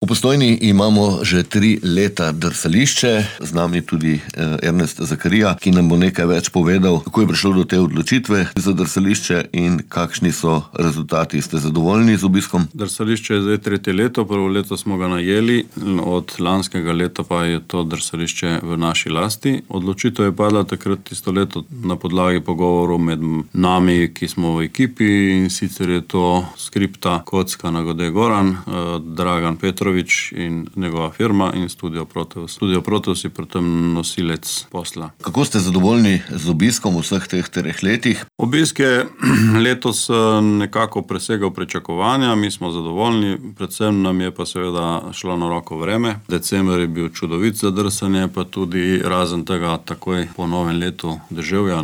V Postojni imamo že 3 leta drsališče, z nami tudi Ernest Zakarija, ki nam bo nekaj več povedal, kako je prišlo do te odločitve za drsališče in kakšni so rezultati. Ste zadovoljni z obiskom? Drsališče je zdaj 3. leto, prvo leto smo ga najeli, od lanskega leta pa je to drsališče v naši lasti. Odločitev je padla takrat tisto leto na podlagi pogovorov med nami, ki smo v ekipi, in sicer je to Skripta, Kocka, Nagode Goran, Dragan Petrovič in njegova firma in Studio Proteus. Studio Proteus je pri tem nosilec posla. Kako ste zadovoljni z obiskom v vseh teh 3 letih? Obisk je letos nekako presegal pričakovanja, mi smo zadovoljni, predvsem nam je pa seveda šlo na roko vreme. December je bil čudovit za drsanje, pa tudi razen tega takoj po novem letu deževja,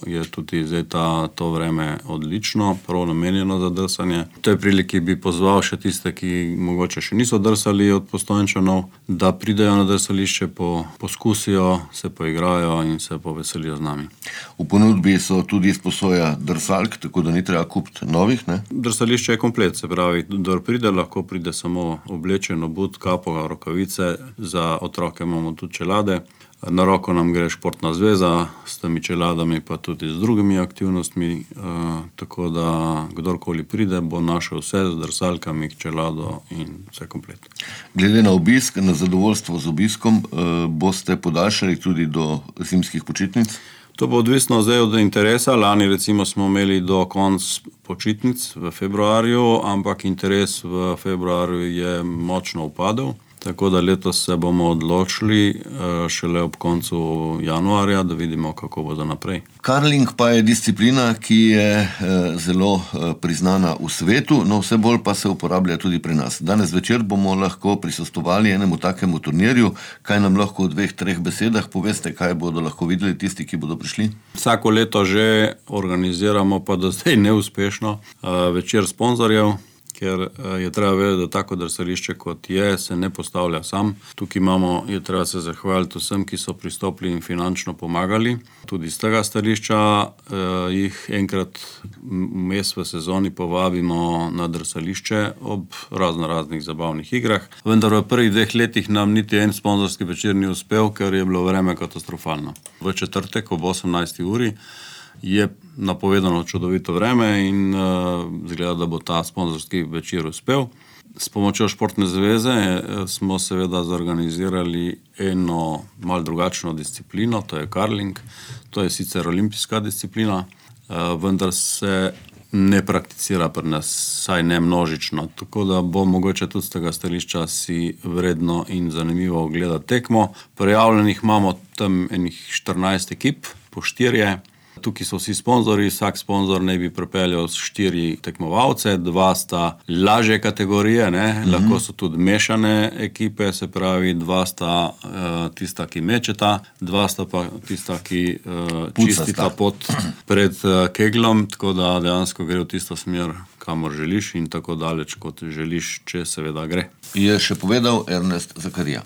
je tudi zdaj to vreme odlično, prav namenjeno za drsanje. V tej priliki bi pozval še tiste, ki mogoče še niso drsali od Postojnčanov, da pridejo na drsališče, poskusijo, se poigrajo in se poveselijo z nami. V ponudbi so tudi izposoja drsalk, tako da ni treba kupiti novih, ne? Drsališče je komplet, se pravi, kdor pride, lahko pride samo oblečen, obut, kapo, rokavice, za otroke imamo tudi čelade. Na roko nam gre športna zveza s temi čeladami, pa tudi z drugimi aktivnostmi, tako da kdorkoli pride, bo našel vse z drsalkami, čelado in vse komplet. Glede na obisk, na zadovoljstvo z obiskom, boste podaljšali tudi do zimskih počitnic? To bo odvisno zdaj od interesa. Lani recimo smo imeli do konc počitnic v februarju, ampak interes v februarju je močno upadel. Tako da letos se bomo odločili šele ob koncu januarja, da vidimo, kako bo za naprej. Karling pa je disciplina, ki je zelo priznana v svetu, no vse bolj pa se uporablja tudi pri nas. Danes večer bomo lahko prisostvovali enemu takemu turnirju. Kaj nam lahko v 2-3 besedah poveste, kaj bodo lahko videli tisti, ki bodo prišli? Vsako leto že organiziramo, pa do zdaj neuspešno, večer sponzorjev, ker je treba vedeti, da tako drsališče kot je, se ne postavlja sam. Tukaj je treba se zahvaliti vsem, ki so pristopili in finančno pomagali. Tudi z tega stališča jih enkrat vmes v sezoni povabimo na drsališče ob raznih zabavnih igrah. Vendar v prvih 2 letih nam niti en sponzorski večer ni uspel, ker je bilo vreme katastrofalno. V četrtek ob 18. uri je napovedano čudovito vreme in izgleda, da bo ta sponzorski večer uspel. S pomočjo Športne zveze smo seveda zorganizirali eno malo drugačno disciplino, to je karling. To je sicer olimpijska disciplina, vendar se ne prakticira pri nas, saj ne množično. Tako da bo mogoče tudi z tega stališča si vredno in zanimivo ogledati tekmo. Prijavljenih imamo tam enih 14 ekip, po 4. Tukaj so vsi sponzorji, vsak sponzor naj bi pripeljal 4 tekmovalce, 2 sta lažje kategorije, lahko so tudi mešane ekipe, se pravi 2 sta tista, ki mečeta, 2 sta pa tista, ki čistita pot pred keglom, tako da dejansko gre v tisto smer, kamor želiš in tako daleč, kot želiš, če seveda gre. Je še povedal Ernest Zakarija.